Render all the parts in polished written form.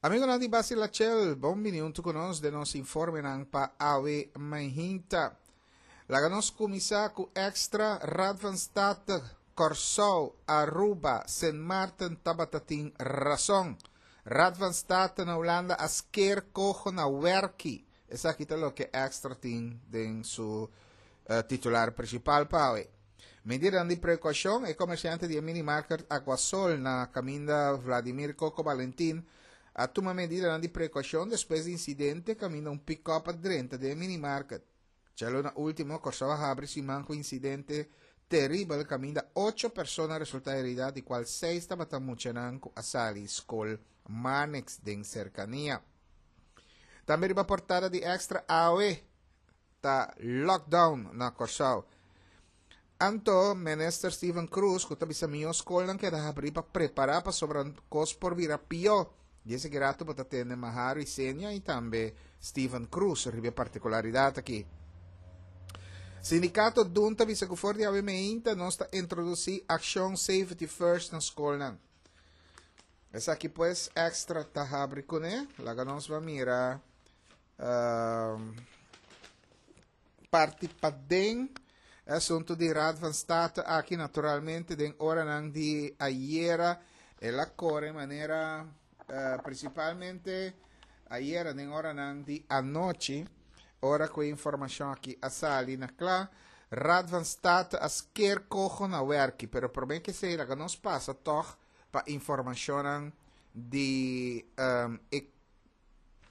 Amigonan di Basilachel, bon bini huntu ku nos den nos informenan pa awe mainta. Laga nos kuminsá ku Extra, Raad van State, Kòrsou, Aruba, Sint Maarten tabata tin rason. Raad van State na Hulanda a sker koho na wèrki. Esaki ta loke Extra tin den su titular principal pa awe. Medidanan di precaucion, e comerciante di e minimarket Aguasol na caminda Vladimir Coco Valentin a tuma medidanan di precaucion despues di incidente caminda un pick-up a drenta den e minimarket. Djaluna ultimo, Corsou a habri siman cu incidente teribel caminda ocho persona a resulta herida di cual seis tabata muchanan cu a sali scol Marnix den cercania. Tambe riba portada di Extra awe ta lockdown na Kòrsou. Anto Minister Steven Cruz ku ta bisa mihó skolnan keda habrí pa prepará pasobra kos por bira pió. Di esaki rato bo ta tende Maharu Isenia i tambe Steven Cruz riba e partikularidat aki. Sindikato dun ta bisa ku for di awe meinta nos ta introdusí akshon Safety First na skolnan. Esaki pues Extra ta habri kuné. Laga nos ba mira Parti paden e asunto di Raad van State aki naturalmente den oranan di ayera el a kore manera principalmente ayera den oranan di anochi ora ku e informashon aki a sali na kla. Raad van State a sker koho na werki pero prome ke esei laga nos pasa tog pa informashonnan di e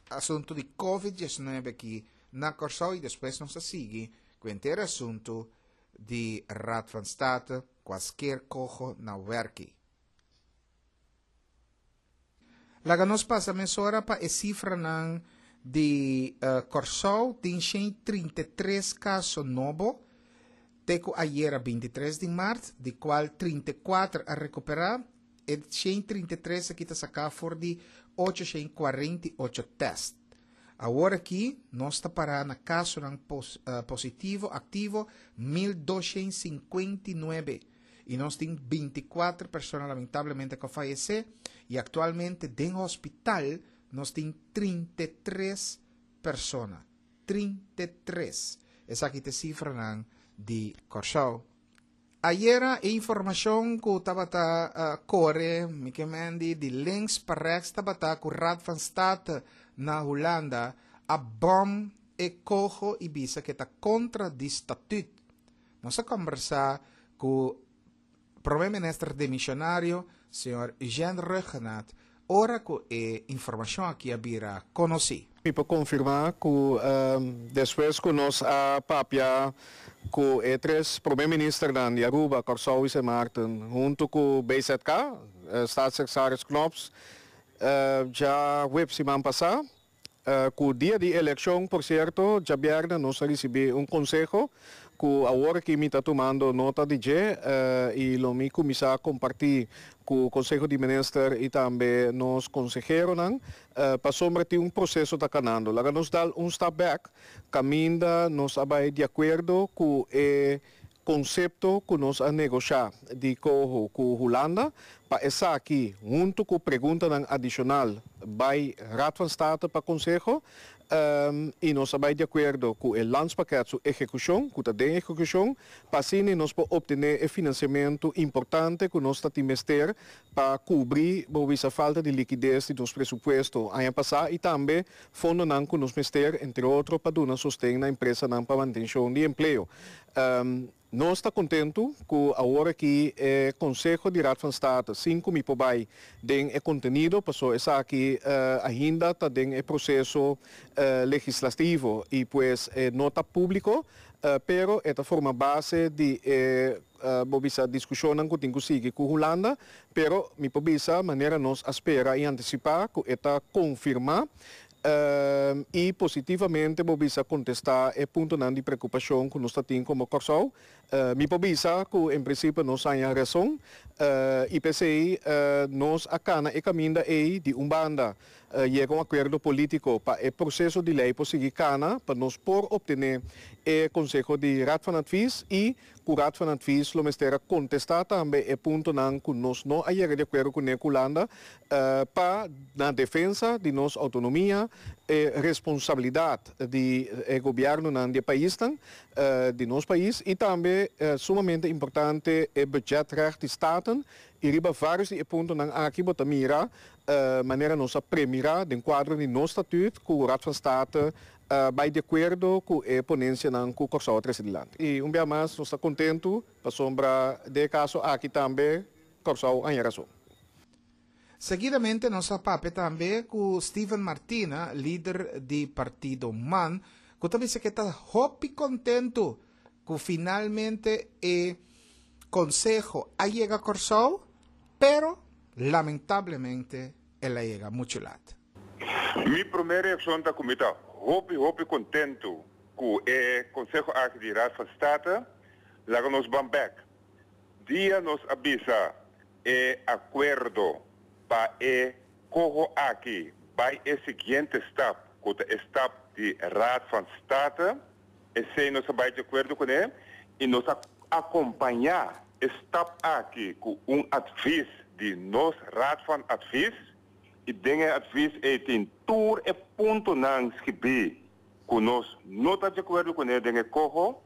asuntu di Covid diesnuebe aki na Kòrsou i despues nos a sigui ku henter asuntu di Raad van State ku a sker koho na wèrki. Laga nos pasa mesora pa e sifranan di Kòrsou, tin 133 kaso nobo te ku ayera 23 di mart, di kual 34 a rekuperá. E 133 aki ta saká for di 848 tèst. Awor aki nos ta pará na kasonan positivo aktivo 1259 i nos tin 24 persona lamentablemente ku a fayesé i aktualmente den hospital nos tin 33 persona. 33. Esaki ta e sifranan di Kòrsou. Ayera e informacion cu tabata core, mi ke men di di links pa rechts tabata cu Raad van State na Hulanda a bom e coho y bisa cu e ta contra di statuut. Nos a combersa cu Prome Minister demisionario, señor Eugène Rhuggenaath, ora cu e informacion aki a bira conoci. Mi por confirma cu despues cu nos a papia cu e tres Prome Ministernan di Aruba, Corsou y Sint Maarten hunto cu BZK, Staatssecretaris Knops, djahuebs siman pasa, Ku dia di elekshon, por sierto, djabièrnè nos a risibí un konseho ku awor aki mi ta tumando nota di dje i lo mi kuminsá kompartí ku Konseho di Minister i tambe nos konseheronan pasobra tin un proseso ta kanando. Laga nos dal un stap bèk kaminda nos a bai di akuerdo ku e konsepto ku nos a negoshá di koho ku Hulanda pa esaki huntu ku preguntanan adishonal bai Raad van State pa konseho i nos a bai di akuerdo ku e landspakket su ehekushon ku ta den ehekushon pa asina nos por optené e finansiamentu importante ku nos ta tin mester pa kubri bo bisa falta di likides di nos presupuesto aña pasá i tambe fondonan ku nos mester entre otro pa duna sosten na empresanan pa mantenshon di empleo. Nos ta kontentu ku awor aki e Konseho di Raad van State, sin ku mi por bai den e kontenido, paso esaki ainda ta den e proseso legislativo i pues e no ta públiko, pero e ta forma base di e bo bisa diskushonnan ku tin ku sigui ku Hulanda, pero mi por bisa manera nos a spera i antisipá ku e ta konfirmá I positivamente bo bisa kontestá e puntonan di preokupashon ku nos ta tin komo Kòrsou. Mi por bisa ku en prinsipio nos haña rason i p'esei nos a kana e kaminda ei di un banda yega un akuerdo polítiko pa e proseso di lei por sigui kana pa nos por optené e konseho di Raad van Advies i ku Raad van Advies lo mester a kontestá tambe e puntonan ku nos no a yega di akuerdo kuné ku Hulanda pa na defensa di nos outonomia e responsabilidat di e gobièrnunan di e paisnan di nos pais i tambe sumamente importante e budgetrecht di Staten i riba vários di e puntonan aki bo ta mira manera nos a premirá den kuadro di nos statuut ku Raad van State bai di akuerdo ku e ponensianan ku Kòrsou a trese dilanti. I un bia mas nos ta kontentu pasobra den e kaso aki tambe Kòrsou a haña rason. Seguidamente nos a papia tambe ku Steven Martina, lider di partido man, ku ta bisa ku e ta hopi kontentu ku finalmente e konseho a yega Kòrsou, pero lamentablemente el a yega muchu lat. Mi promé reakshon ta ku mi ta hopi hopi kontentu ku e konseho aki di Raad van State. Laga nos ban bèk. Dia nos a bisa e akuerdo pa e koho aki bai e siguiente stap ku ta e stap di Raad van State, esei nos a bai di akuerdo kuné i nos a akompañá e stap aki ku un advis di nos Raad van Advies i den e advis ei tin tur e puntonan skibí ku nos no ta di akuerdo kuné den e koho.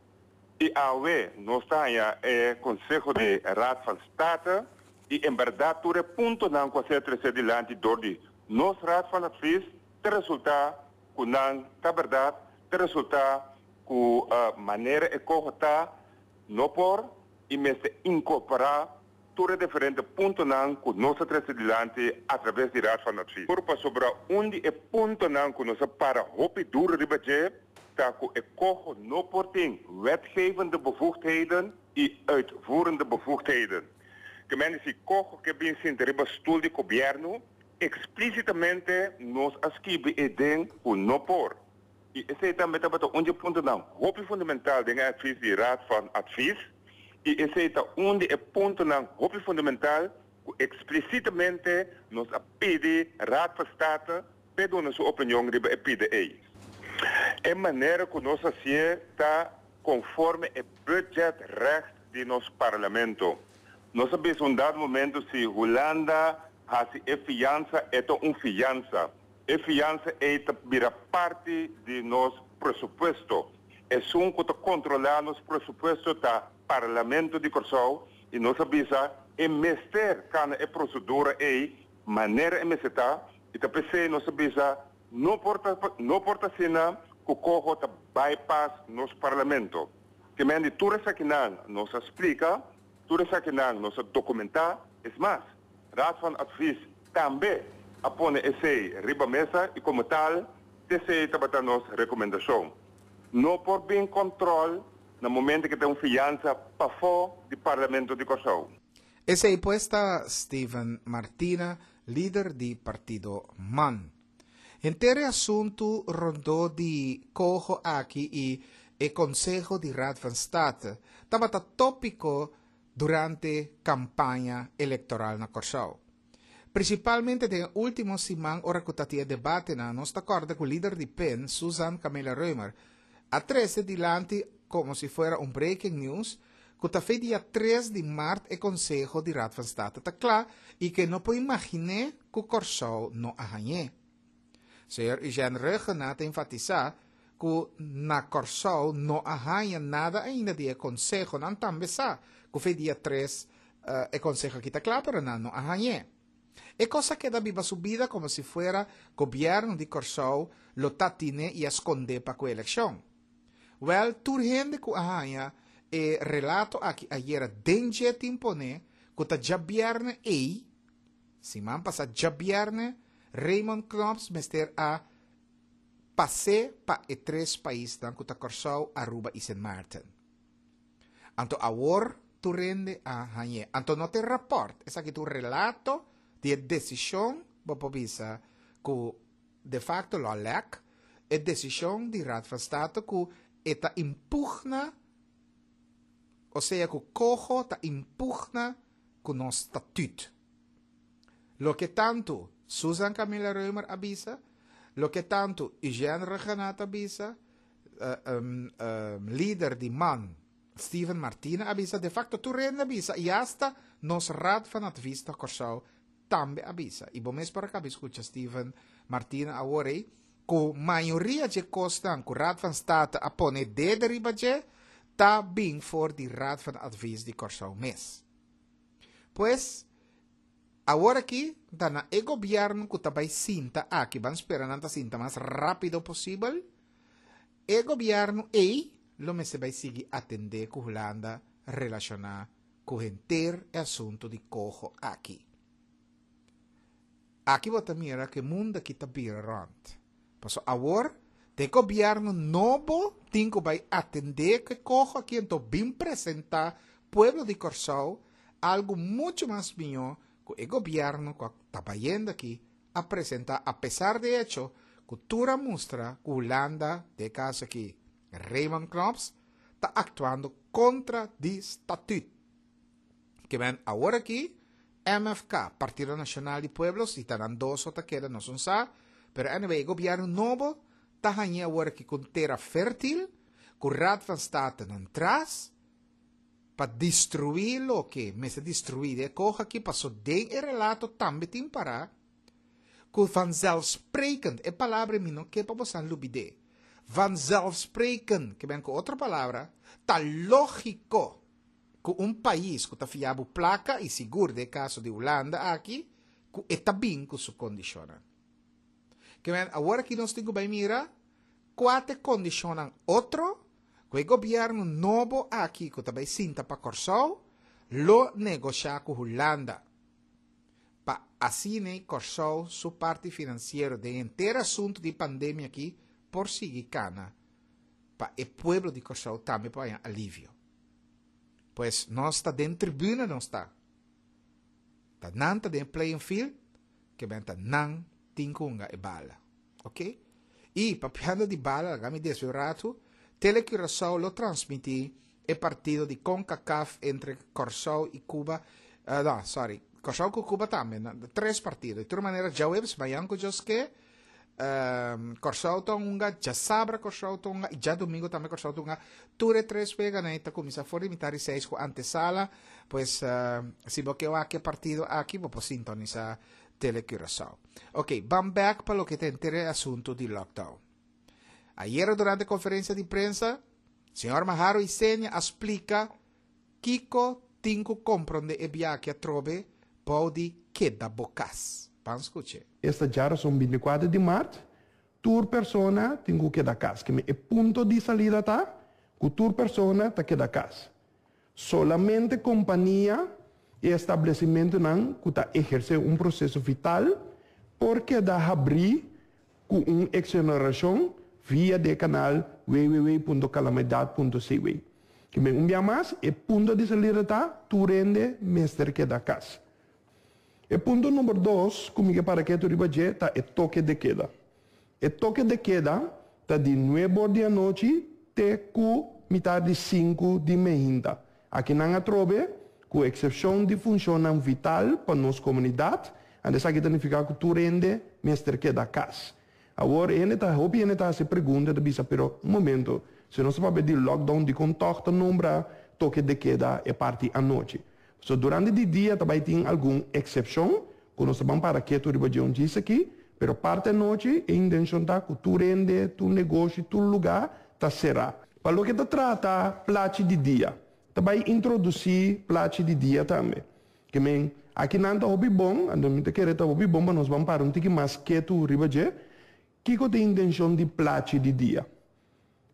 I awe nos ta haña e konseho di Raad van State i en bèrdat tur e puntonan ku a ser tresé dilanti dor di nos Raad van Advies ta resultá ku nan ta bèrdat, ta resultá ku manera e koho ta no por i mester inkorporá tur e diferente puntonan ku nos a trese dilanti atraves di Raad van Advies. Por pasobra un di e puntonan ku nos a para hopi duro riba dje ta ku e koho no por tin wetgevende bevoegdheden i uitvoerende bevoegdheden. Ke men di si koho ke bin sinta riba stul di gobièrnu, eksplísitamente nos a skibi e den ku no por. I esei tambe tabata un di e puntonan hopi fundamental den e advies di Raad van Advies. I esei ta un di e puntonan hopi fundamental ku eksplisitamente nos a pidi Raad van State p'e duna su opinion riba e pida ei. E manera ku nos hasié ta konforme e budgetrecht di nos Parlamento. Nos a bisa un dado momento si Hulanda hasi e fiansa e ta un fiansa. E fiansa ei ta bira parti di nos presupuesto. Esun ku ta kontrolá nos presupuesto ta Parlamento di Kòrsou i nos a bisa e mester kana e prosedura ei manera e mester ta i ta p'esei nos a bisa no por ta no por ta asina ku koho ta bypass nos Parlamento. Ke men di tur esakinan nos a splika, tur esakinan nos a dokumentá, es mas, Raad van Advies tambe a pone esei riba mesa i komo tal t'esei tabata nos rekomendashon. No por bin kòntròl na momento ku ta un fiansa pafó di Parlamento di Kòrsou. Esei pues ta Steven Martina, lider di partido man. Henter e asuntu rondó di koho aki i e konseho di Raad van State tabata tópiko durante kampaña elektoral na Kòrsou. Prinsipalmente den e último siman ora ku ta tin e debatenan, nos ta kòrda ku lider di pen, Susan Camilla Römer, a trese dilanti komo si fuera un breaking news ku ta fe dia tres di mart e konseho di Raad van State ta kla i ku e no por imaginé ku Kòrsou no a hañ'é. Señor Eugène Rhuggenaath ta enfatisá ku na Kòrsou no a haña nada ainda di e konseho. Nan tambe sa ku fe dia tres e konseho aki ta kla, pero nan no a hañ'é. E kos a keda biba su bida komo si fuera gobièrnu di Kòrsou lo ta tine i a skondé pa ku elekshon. Wèl, tur hende ku a haña e relato aki ayera den dje tin pone ku ta djabièrnè ei, Siman pasá djabièrnè, Raymond Knops mester a pas'é pa e tres paisnan ku ta Kòrsou, Aruba i Sint Maarten. Anto awor tur hende a hañ'é. Anto no ta e rapòrt, esaki ta un relato di e desishon, bo por bisa, ku de facto lo a lèk, e desishon di Raad van State ku e ta impugna. O sea ku coho ta impugna ku nos statuut. Loke tantu Susan Camilla Römer a bisa, loke tantu Eugène Rhuggenaath a bisa, lider di man Steven Martina a bisa, de facto tur hende a bisa i hasta nos Raad van Advies na Kòrsou tambe a bisa. I bo mes por a kaba skucha Steven Martina awor ei, ku mayoria dje kosnan ku Raad van State a pone dede riba dje, ta bin for di Raad van Advies di Kòrsou mes. Pues, awor aki ta na e gobièrnu ku ta bai sinta aki, ban spera nan ta sinta mas rápido posibel, e gobièrnu ei lo mester bai sigui atendé ku Hulanda relashoná ku henter e asuntu di koho aki. Aki bo ta mira ku e mundu aki ta bira rònt. Pasobra awor ta e gobièrnu nobo tin ku bai atendé ku e koho aki anto bin presentá pueblo di Kòrsou algu muchu mas mihó ku e gobièrnu ku a ta bayendo aki a presentá apesar di echo ku tur a mustra ku Hulanda, den e kaso aki Raymond Knops, ta aktuando kontra di statüt. Ke men awor aki MFK, Partido Nacional di Pueblo, si ta nan dos so ta keda nos un sa, pero anyway e gobierno nobo ta hañ'e awor aki ku un tera fertil, ku Raad van State nan tras, pa destruí loke mester destruí den e koho aki, paso den e relato tambe tin pará ku vanzelfsprekend, e palabra mi no ke pa bosan lubid'é, vanzelfsprekend, ke men ku otro palabra, ta lógiko ku un pais ku ta fia bo plaka i sigur den e kaso di Hulanda aki ku e ta bin ku su kondishonnan. Ke men awor aki nos tin ku bai mira kua ta e kondishonnan otro ku e gobièrnu nobo aki ku ta bai sinta pa Kòrsou lo negoshá ku Hulanda pa asina Kòrsou su parti finansiero den henter asuntu di pandemia aki por sigui kana pa e pueblo di Kòrsou tambe por haña alivio. Pues nos ta den tribuna nos ta. Ta nan ta den playing field, ke ben ta nan tin ku hunga e bala. Ok? I papiando di bala, laga mi deswe un ratu, Tele Curaçao lo transmití e partido di CONCACAF entre Kòrsou i Cuba, no, sorry, Kòrsou ku Cuba tambe, tres partido. Di tur manera djaweps, mañan ku Dios ke, Kòrsou ta hunga, djasabra Kòrsou ta hunga i djadumingu tambe Kòrsou ta hunga. Tur e tres weganan ei ta kuminsá for di mitar di seis ku antesala. Pues si bo ke wak e partido aki bo por sintonisá Tele Curaçao. Ok, ban bèk pa loke ta henter e asuntu di lockdown. Ayera durante konferensia di prensa, señor Maharo Isenia a splika Kiko tin ku komprondé e biaha atrobe bou di keda bo kas? Ban skuch'é. Esta djarason bintikuater di mart, tur persona tin ku keda kas. Keme e punto di salida ta ku tur persona ta keda kas. Solamente kompania i establesimentunan ku ta ehersé un proseso vital por keda habrí ku un eksonerashon via di e kanal www.calamidad.cw. Ke men un bia mas, e punto di salida ta tur hende mester keda kas. E punto number dos ku mi ke para ketu riba dje ta e toke de keda. E toke de keda ta di nuebe or di anochi te ku mitar di sinku di mehinta. Akinan atrobe, ku eksepshon di funshonnan vital pa nos komunidat, anto esaki ta nifiká ku tur hende mester keda kas. Awor, hende ta, hopi hende ta hasi pregunta, ta bisa, pero un momento, si nos ta papia di lockdown, dikon tòg ta nombra toke de keda e parti anochi? Pasobra durante di dia ta bai tin algun eksepshon ku nos ta ban para ketu riba dje un djis aki, pero parti anochi e intenshon ta ku tur hende, tur negoshi, tur lugá ta será. Pa loke ta trata plachi di dia, ta bai introdusí plachi di dia tambe. Ke men, aki nan ta hopi bon, anto mi ta kere ta hopi bon pa nos ban para un tiki mas ketu riba dje. Kiko ta e intenshon di plachi di dia?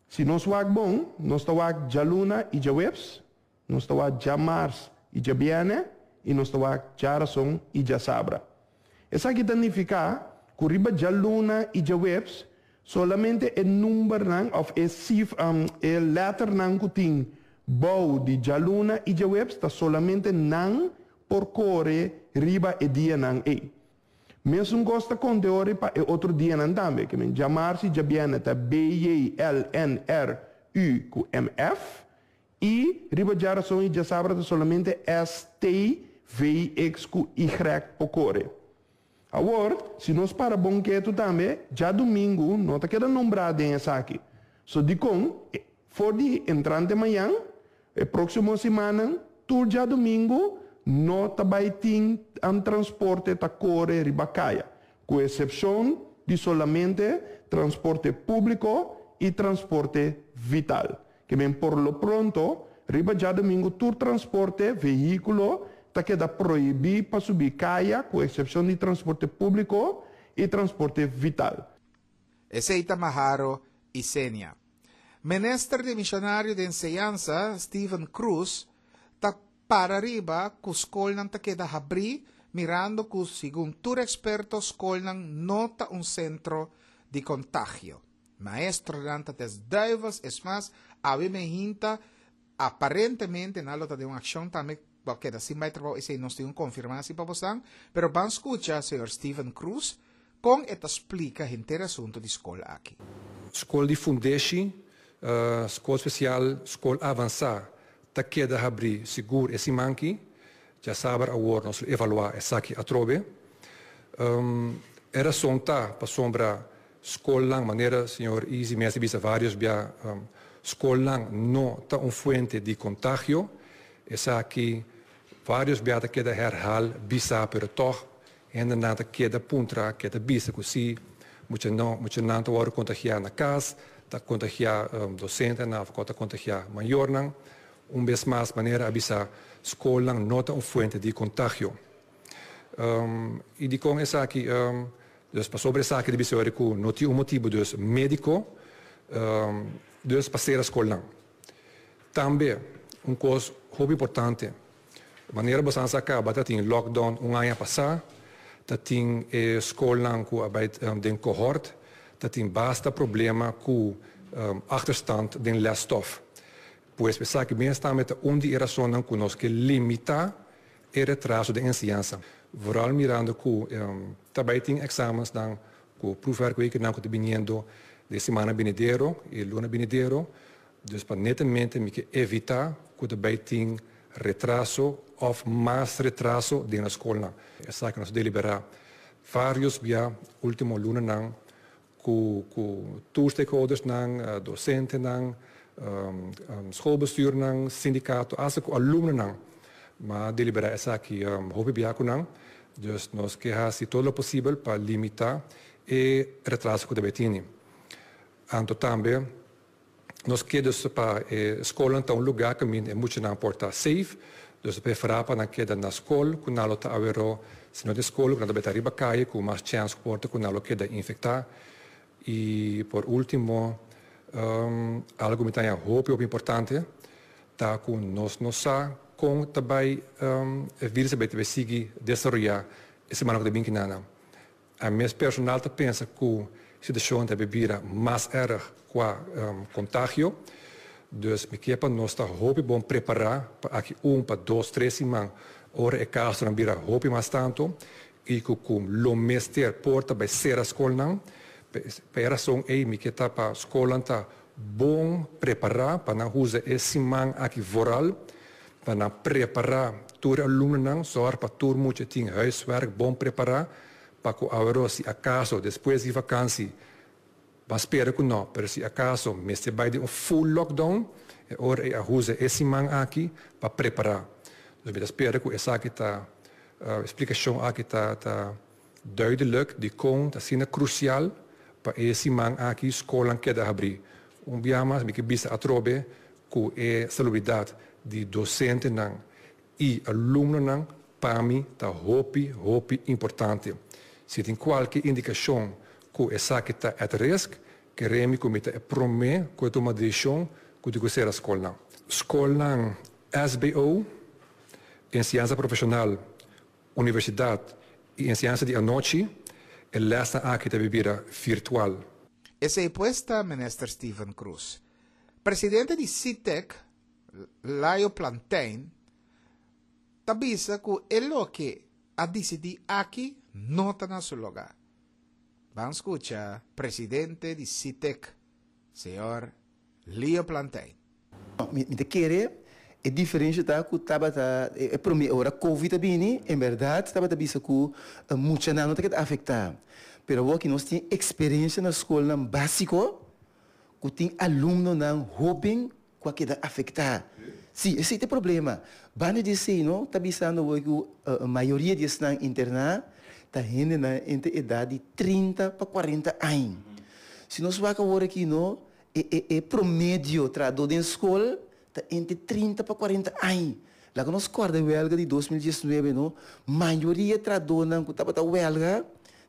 Si nos wak bon, nos ta wak djaluna i djaweps, nos ta wak djamars i djabiènè i nos ta wak djarason i djasabra. Esaki ta nifiká ku riba djaluna i djaweps solamente e numbernan òf e sif e lèternan ku tin bou di djaluna i djaweps ta solamente nan por kore riba e dianan ei. Mesun kos ta konta e ora pa e otro dianan tambe, ke men djamars i djabièrnè ta B, J, L, N, R, U ku M, F. I riba djarason i djasabra ta solamente S, T, V, X ku Y por kore. Awor, si nos para bon ketu tambe, djadumingu no ta keda nombrá den esaki. So dikon, for di entrante mañan, e próksimo simannan, tur djadumingu no ta bai tin transporte ta kore riba kaya, ku esepshon di solamente transporte públiko i transporte vital. Ke men por lo pronto, riba djadumingu tur transporte, vehíkulo, ta keda prohibí pa subi kaya ku eksepshon di transporte públiko i transporte vital. Esei ta Maharo Isenia. Minister demisionario di Enseñansa, Steven Croes, ta para riba ku skolnan ta keda habrí mirando ku segun tur eksperto skolnan no ta un sentro di kontagio. Maestronan ta des duivels, es mas, awe men hinta, aparentemente nan lo ta den un accion tambe, bo a keda sin bay trabou, esey nos tin un confirmatie pa bosan, pero ban scucha señor Steven Croes con e ta splica henter e asunto di scol aki. Scol di fundeshi, scol special, scol avansa ta keda habri sigur e siman ki. Djasaber awor nos lo evalua esaki atrobe. E rason ta pasobra Skolnan, manera señor Izzy mes a bisa varios bia, skolnan no ta un fuente di kontagio. Esaki varios bia ta keda herhal bisa, pero tòg hendenan ta keda puntra, keda bisa ku si mucha no, muchanan ta wòrdu kontagiá na kas, ta kontagiá dosentenan òf ta kontagiá mayornan. Un bes mas, manera a bisa, skolnan no ta un fuente di kontagio. I dikon esaki? Dus pasobra esaki ta bisa ora ku no tin un motibu dus médiko dus pa sera skolnan. Tambe un kos hopi importante, manera boso a sa kaba ta tin lockdown un aña pasá, ta tin e skolnan ku a bai den kohort, ta tin basta problema ku achterstand den lesstof. Pues esaki mes tambe ta un di e rasonnan ku nos ke limitá E retraso den enseñansa, vooral mirando cu ta bay tin examensnan cu proefwerkwekennan cu ta biniendo den semana binidero y luna binidero, dus pa netamente mi ke evita cu ta bay tin retraso of mas retraso den nos scolnan. Esaki nos a delibera varios bia ultimo lunanan Ku ku tur stakeholdersnan, dosentenan, schoolbestuurnan, sindikato, asta ku alumnonan. M'a deliberá esaki hopi bia ku nan. Dus nos ke hasi todo lo posibel pa limitá e retraso ku ta bai tini. Anto tambe nos ke dus pa e skolnan ta un lugá kaminda e muchanan por ta safe. Dus ta preferá pa nan keda na skol ku nan lo ta aweró. Si no tin skol ku nan ta bai ta riba kaye ku mas chèns ku por ta ku nan lo keda infektá. I por último, algu mi ta haña hopi hopi importante ta ku nos no sa kon ta bai e virus a bai ta bai sigui desaroyá e semana ku ta bin kinan. A mes personal ta pensa ku situashon ta bira mas erg kua kontagio. Dus mi ke pa nos ta hopi bon prepará pa aki un pa dos tres siman ora e kasonan bira hopi mas tantu i ku ku lo mester por ta bai sera skolnan. Pa e rason ei mi ke ta pa skolnan ta bon prepará pa nan usa e siman aki vooral pa nan prepará tur e alumnonan, sòr pa tur mucha tin huiswerk bon prepará pa ku aweró si akaso despues di vakansi, ban spera ku nò, pero si akaso mester bai den un full lockdown, e ora ei a usa e siman aki pa prepará. Dus mi ta spera ku esaki ta, e splikashon aki ta ta duidelijk dikon ta asina krusial pa e siman aki skolnan keda habrí. Un bia mas mi ke bisa atrobe ku e salubridat di dosentenan i alumnonan pa mi ta hopi hopi importante. Si tin kualke indikashon ku esaki ta at risk, kere mi ku mi ta e promé ku e tuma desishon ku tin ku sera skolnan. Skolnan SBO, enseñansa profeshonal, universidat i enseñansa di anochi, e lèsnan aki ta bira virtual. Esei pues ta Minister Steven Croes. Presidente di Sitec, Layo Plantijn, ta bisa ku e loke a disidí aki no ta na su lugá. Ban skucha presidente di Sitec, señor Leo Plantijn. Mi ta kere e diferensha ta ku tabata e prome ora covid a bini en bèrdat tabata bisa ku muchanan no ta keda afektá pero awor ki nos tin eksperensha na skolnan básiko ku tin alumnonan hóben ku a keda afektá. Sí, esei ta e problema. Banda di esei no ta bisando awor ku mayoria di esnan interná ta hendenan entre edat di 30 pa 40 aña. Si nos wak awor aki no E e e promedio trahadó den skol ta entre 30 pa 40 aña. Laga nos kòrda e wèlga di 2019 no, mayoria trahadónan ku tabata wèlga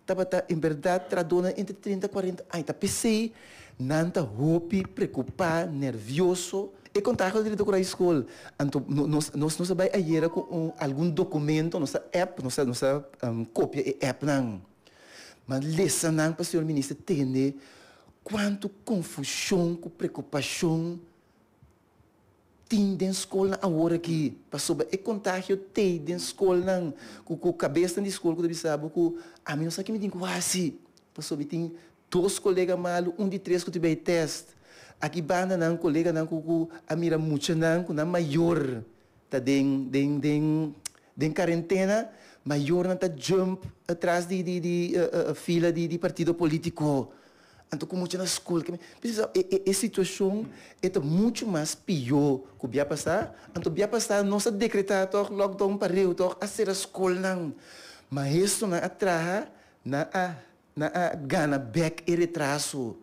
tabata en bèrdat trahadónan entre 30 40 aña. Ta p'esei nan ta hopi preokupá, nèrvioso. E kontagio ta drenta ku rai skol. Anto nos nos nos a bai ayera ku un algun dokumento, nos a app, nos a nos a kopia e appnan. Ma lesa nan pa señor minister tende kuantu konfushon ku preokupashon tin den skolnan awor aki pasobra e kontagio tei den skolnan ku ku kabesnan di skol ku ta bisa bo ku ami no sa ke mi tin ku hasi pasobra mi tin dos kolega malu un di tres ku ta bai tèst aki banda nan koleganan ku ku a mira muchanan ku nan mayor ta den den den den karentena mayornan ta jump atras di di di fila di di partido politico anto ku mucha na skol e e e situashon e ta muchu mas pió ku bia pasá anto bia pasá nos a dekretá tòg lockdown pareu tòg a sera skolnan maestronan a traha nan a nan a gana bèk e retraso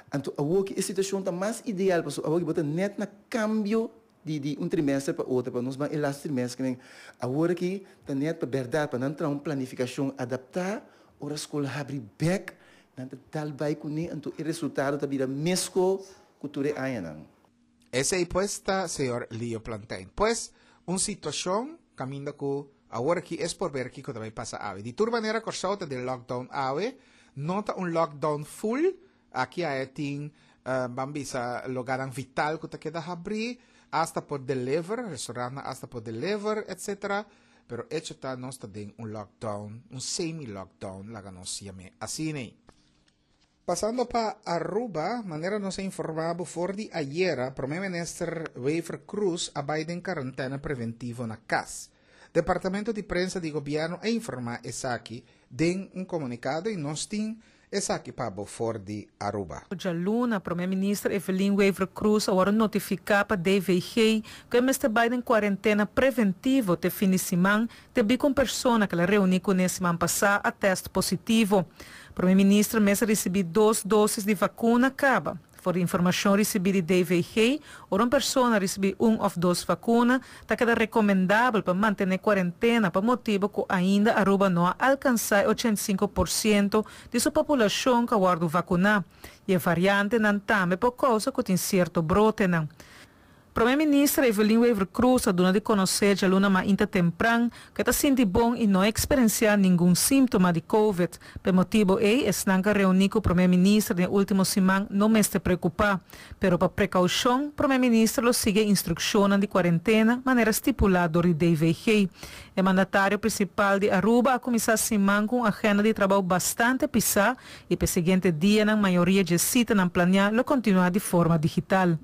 anto awoki e situashon ta mas ideal pasobra awoki bo ta nèt na kambio Di di un trimester pa otro, pa nos ban e laatste trimester kimen awor aki ta net pa berdad pa nan traha un planificacion adapta ora scol habri bek nan ta dal bay cune anto e resultado ta bira mesco cu tur e añanan. Esey pues ta señor Leo Plantijn. Pues un situacion caminda cu awor aki es por ber kico ta bay pasa awe. Di tur manera Corsou ta den lockdown awe, no ta un lockdown full, Aki aya tin, ban bisa, loganan vital ku ta keda habrí, asta por deliver, restaurantnan asta por deliver, etcetera. Pero echo ta nos ta den un lockdown, un semi-lockdown, laga nos yam'é asina. Pasando pa Aruba, manera nos a informá bo for di ayera, Prome Minister Wever Croes a bai den karantèna preventivo na kas. Departamento di Prensa di Gobièrnu a informá esaki den un komunikado i nos tin Esaki pa bo for di Aruba. Djaluna, Prome Minister Evelyn Wever-Croes a wòrdu notifiká pa DVG ku e mester bai den kuarentena preventivo te fin di siman debí ku un persona ku el a reuní kuné siman pasá a tèst positivo. Prome Minister mes a risibí dos dósis di vakuna kaba. For di informashon risibí di DVG, ora un persona risibí un òf dos vakuna, ta keda rekomendabel pa mantené kuarentena pa motibu ku ainda Aruba no a alkansá e 85% di su populashon ku a wòrdu vakuná, i e variantenan tambe por kousa ku tin sierto brotenan. Prome Minister Evelyn Wever-Croes a duna di conoce djaluna mainta tempran cu e ta sinti bon y no a experencia ningun simptoma di Covid. P'e motibo ey esnan cu a reuni cu Prome Minister den e ultimo siman no mester preocupa. Pero pa precaucion Prome Minister lo sigui e instruccionnan di cuarentena manera stipula dor di DVG. E mandatario principal di Aruba a cuminsa siman cu un agenda di trabao bastante pisa y p'e siguiente dianan mayoria dje citanan planea lo continua di forma digital.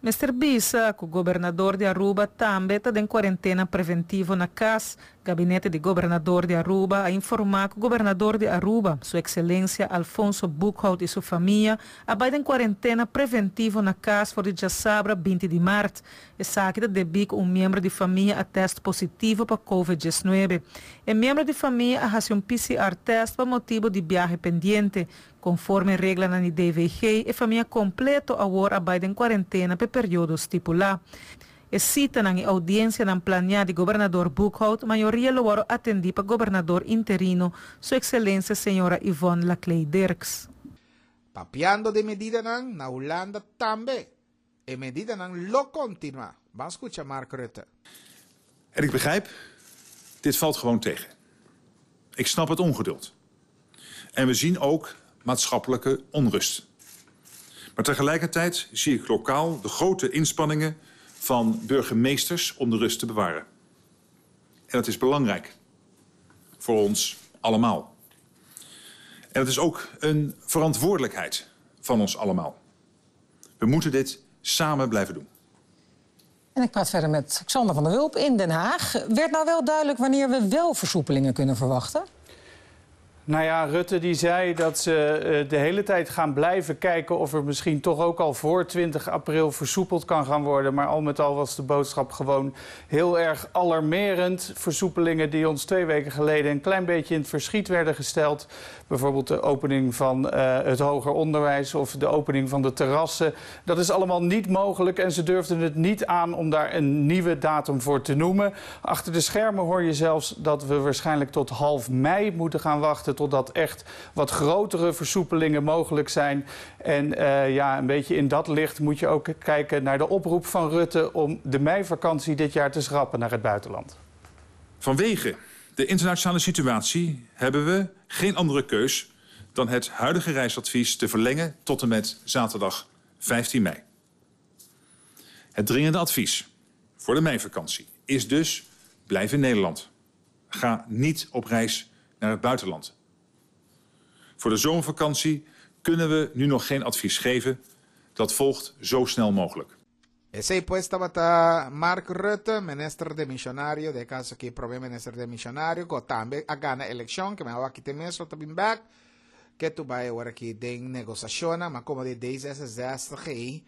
Mester bisa cu Gobernador di Aruba tambe ta den cuarentena preventivo na cas. Gabinete di Gobernador di Aruba a informa cu Gobernador di Aruba, Su Excelencia Alfonso Boekhoudt y su famia a bay den cuarentena preventivo na cas for di djasabra 20 di maart. Esaki ta debi cu un miembro di famia a test positivo pa Covid 19. E miembro di famia a haci un PCR test pa motibo di biahe pendiente. Konforme reglanan di DVG, e famia kompleto awor a bai den kuarentena p'e periodo stipulá. E sitanan i oudiensianan planiá di Gobernador Boekhoudt mayoria lo wòrdu atendí pa Gobernador interino, Su Ekselensia Señora Yvonne Laclay Dirks. Papiando di medidanan, na Hulanda tambe e medidanan lo kontinuá. Ban skucha Mark Rutte. En ik begrijp, dit valt gewoon tegen. Ik snap het ongeduld. En we zien ook maatschappelijke onrust. Maar tegelijkertijd zie ik lokaal de grote inspanningen van burgemeesters om de rust te bewaren. En dat is belangrijk voor ons allemaal. En het is ook een verantwoordelijkheid van ons allemaal. We moeten dit samen blijven doen. En ik praat verder met Xander van der Wulp in Den Haag. Werd nou wel duidelijk wanneer we wel versoepelingen kunnen verwachten? Nou ja, Rutte die zei dat ze de hele tijd gaan blijven kijken of er misschien toch ook al voor 20 april versoepeld kan gaan worden. Maar al met al was de boodschap gewoon heel erg alarmerend. Versoepelingen die ons 2 weken geleden een klein beetje in het verschiet werden gesteld. Bijvoorbeeld de opening van het hoger onderwijs of de opening van de terrassen. Dat is allemaal niet mogelijk en ze durfden het niet aan om daar een nieuwe datum voor te noemen. Achter de schermen hoor je zelfs dat we waarschijnlijk tot half mei moeten gaan wachten totdat echt wat grotere versoepelingen mogelijk zijn. En ja, een beetje in dat licht moet je ook kijken naar de oproep van Rutte om de meivakantie dit jaar te schrappen naar het buitenland. Vanwege de internationale situatie hebben we geen andere keus dan het huidige reisadvies te verlengen tot en met zaterdag 15 mei. Het dringende advies voor de meivakantie is dus: blijf in Nederland. Ga niet op reis naar het buitenland. Voor de zomervakantie kunnen we nu nog geen advies geven. Dat volgt zo snel mogelijk. Esei pues tabata Mark Rutte, minister demissionario, den kaso aki promé minister demissionario, ku tambe a gana elekshon, ku mi aki tin mes tambe back, ku tur bai awor aki den negosiashon, ma komo di D66,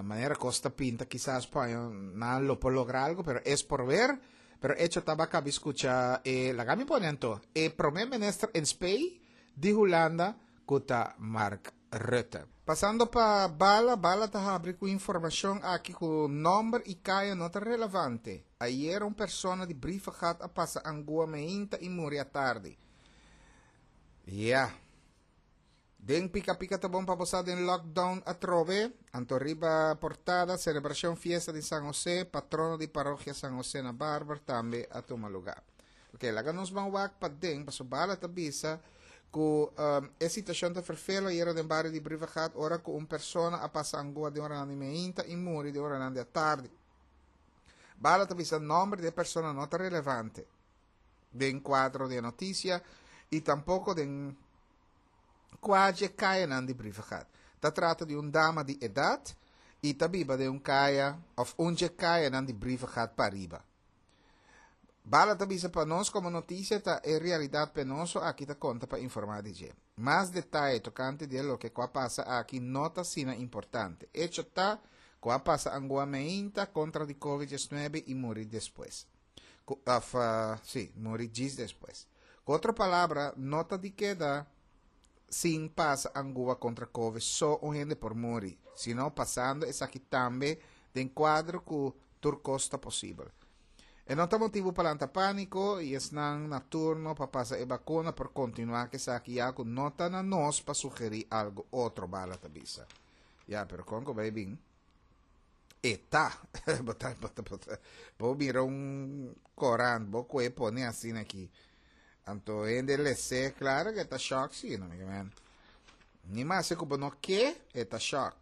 manera kos ta pinta, kisas pa nan lo por logra algu, pero es por ver, pero hecho tabata kaba skucha, laga mi pone anto, e promé minister in spe di Hulanda, ku ta Mark Rutte. Pasando pa Bala, Bala ta habri ku informashon aki ku nòmber i kaya no ta relevante. Ayera un persona di Brievengat a pasa angua mainta i muri atardi. Ja. Den pika pika ta bon pa bo den lockdown atrobe. Anto riba portada, selebrashon fiesta di San José, patrono di parokia San José na Barber, tambe a tuma lugá. Ok, laga nos ban wak pa den, paso Bala ta bisa ku e situashon ta ferfelo ayera den bario di Brievengat, ora ku un persona a pasa angua den ora di mainta i muri den ora di atardi. Bala ta bisa nòmber di persona no ta relevante den kuadro di notisia i tampoko den kua kaya di Brievengat. Ta trata di un dama di edat i ta biba den un kaya òf un kaya di Brievengat pariba. Bala ta bisa pa nos komo notisia ta e realidat penoso aki ta konta pa informá di dje. Mas detaye tokante di loke a pasa aki no ta asina importante. Hecho ta ku a pasa angua mainta kontra di COVID-19 i muri despues. Of, sí, muri djis despues. Ku otro palabra, no ta di keda sin pasa angua kontra COVID so un hende por muri, sino pasando esaki tambe den kuadro ku tur kos ta posibel. E no ta motibu pa lanta pániko i esnan na turno pa pasa e vakuna por kontinuá ku esaki ya ku no ta na nos pa sugerí algu otro, Bala ta bisa. Ya, pero kon ku bai bin? Eta. Bota, bota, bota. Bo mira un korant, bo kue pone asina aki. Anto hende lese, klaro ku ta shock si, no, man. Ni mas ku bo no ke, ta shock.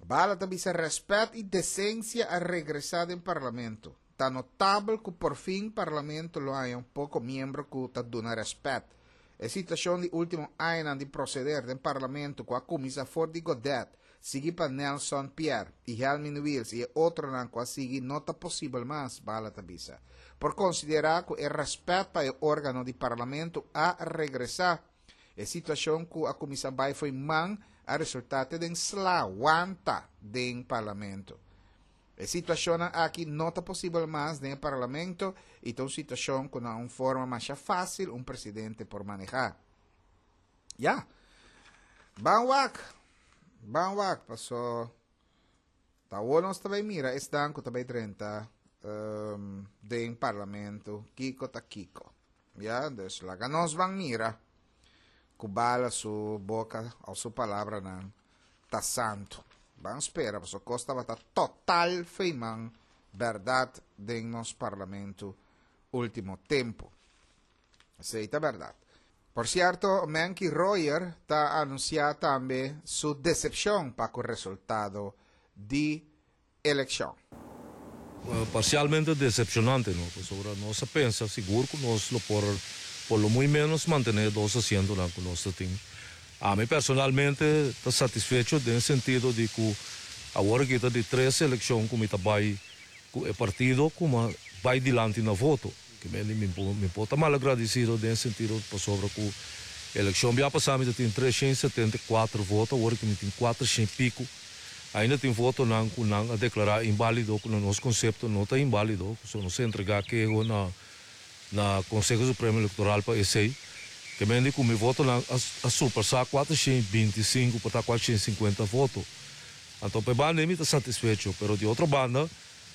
Bala ta bisa rèspèt i desensia a regresá den parlamento. Ta notabel ku por fin parlamento lo haya un poko miembro ku ta duna rèspèt. E situashon di último aña di proseder den parlamento ku a kuminsá for di Godett, sigui pa Nelson Pierre i Helmin Wiels i otronan ku a sigui no ta posibel mas, Bala ta bisa. Por konsiderá ku e rèspèt pa e órgano di parlamento a regresá. E situashon ku a kuminsá bai fo'i man a resultá den sla wanta den parlamento. E situashon aki no ta posibel mas den parlamento i ta un situashon ku na un forma mas fásil un presidente por manehá. Ja. Ban wak. Ban wak, paso. Ta nos tambe mira esnan ku tambe 30 den parlamento, kiko ta kiko. Ja, dus laga nos ban mira. Ku Bala su boka òf su palabranan ta santu. Ban spera, paso kos ta total fo'i man bèrdat den nos parlamento último tempu. Esei ta bèrdat. Por sierto, Menky Royer ta anunsiá tambe su desepshon pa e resultado di elekshon. Parsialmente desepshonante, no? Pasobra nos a pensa sigur ku nos lo por lo muy menos mantené dos asiento ku nos tin. Ami personalmente ta satisfecho den sentido di ku Awor aki ta di tres elekshon ku mi ta bai ku e partido ku mi a bai dilanti na voto. Ke men di mi mi por ta malagradisido den sentido pasobra ku elekshon bia pasá mi ta tin 374 voto, awor aki mi tin 400 piku. Ainda tin votonan ku nan a deklará inbálido ku na nos konsepto no ta inbálido, so nos a entregá keho na na Konseho Supremo Elektoral pa esei. Ke men di ku mi votonan a a surpasá 425 pa ta 450 voto. Anto pa e banda ei mi ta satisfecho, pero di otro banda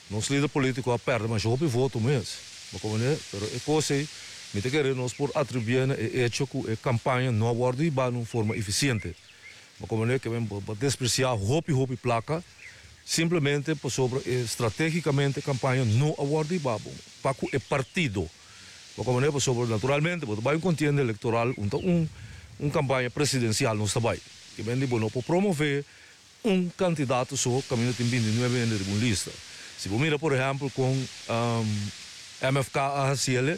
nos lider polítiko a pèrdè masha hopi voto mes. Bo komprendé? Pero e kos ei mi ta kere nos por atribuí na e echo ku e kampaña no a wòrdu hibá na un forma efisiente. Bo komprendé? Ke men bo a despresiá hopi hopi plaka simplemente pasobra e stratégikamente e kampaña no a wòrdu hibá bon pa ku e partido. Bo komprendé? Pasobra naturalmente bo ta bai un kontienda elektoral un ta un un kampaña presidensial nos ta bai. Ke men di bo no por promové un kandidato so kaminda tin 29 hende riba un lista. Si bo mira por ehèmpel kon MFK a hasi el,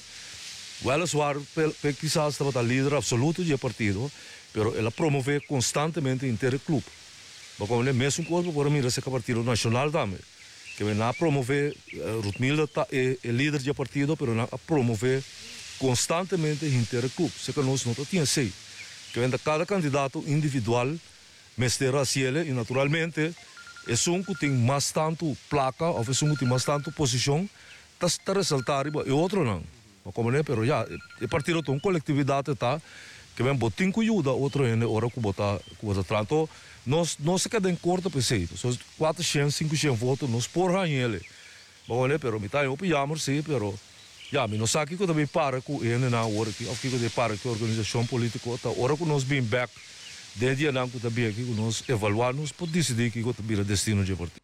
wèleswar pe kisas tabata lider apsoluto di e partido, pero el a promové konstantemente henter e klup. Bo komprendé? Mesun kos bo por a mira serka Partido Nashonal tambe. Ke men nan a promové, Ruthmilda ta e lider di e partido, pero nan a promové konstantemente henter e klup. Serka nos no ta tin esei. Ke men ta kada kandidato individual mester hasiel i naturalmente esun ku tin mas tantu plaka òf esun ku tin mas tantu posishon ta ta resaltá riba e otronan. Bo komprendé? Pero ya, e partido ta un kolektividat e ta ke men bo tin ku yuda otro hende ora ku bo ta ku bo ta traha. Anto nos nos a keda en korto pa esei. Pasobra 400, 500 voto nos por haña el. Bo komprendé? Pero mi ta haña hopi yammer sí, pero ya mi no sa kiko ta bin para ku e hendenan awor aki òf kiko ta bin para ku e organisashon polítiko ta ora ku nos bin bèk den dianan ku ta bin aki ku nos evaluá nos por disidí kiko ta bira destino dje partido.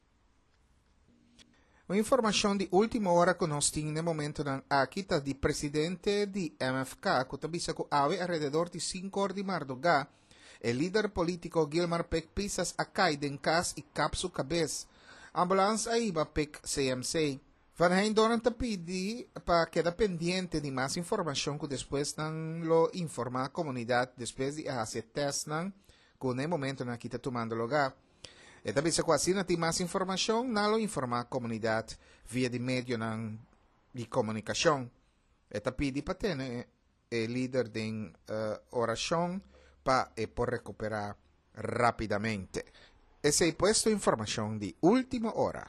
Un informashon di último ora ku nos tin n'e momentonan aki ta di presidente di MFK ku ta bisa ku awe alrededor di sinku or di mardugá e lider polítiko Gilmar Pik Pisas a kai den kas i kap su kabes. Ambulans a hiba Pik CMC. Van Heijndoorn ta pidi pa keda pendiente di mas informashon ku despues nan lo informá komunidat despues di a hasi e tèstnan ku na e momentonan aki ta tumando lugá. E ta bisa ku asina tin mas informashon nan lo informá komunidat via di medionan di komunikashon. E ta pidi pa tene e lider den orashon pa e por rekuperá rápidamente. Esei pues tu informashon di último ora.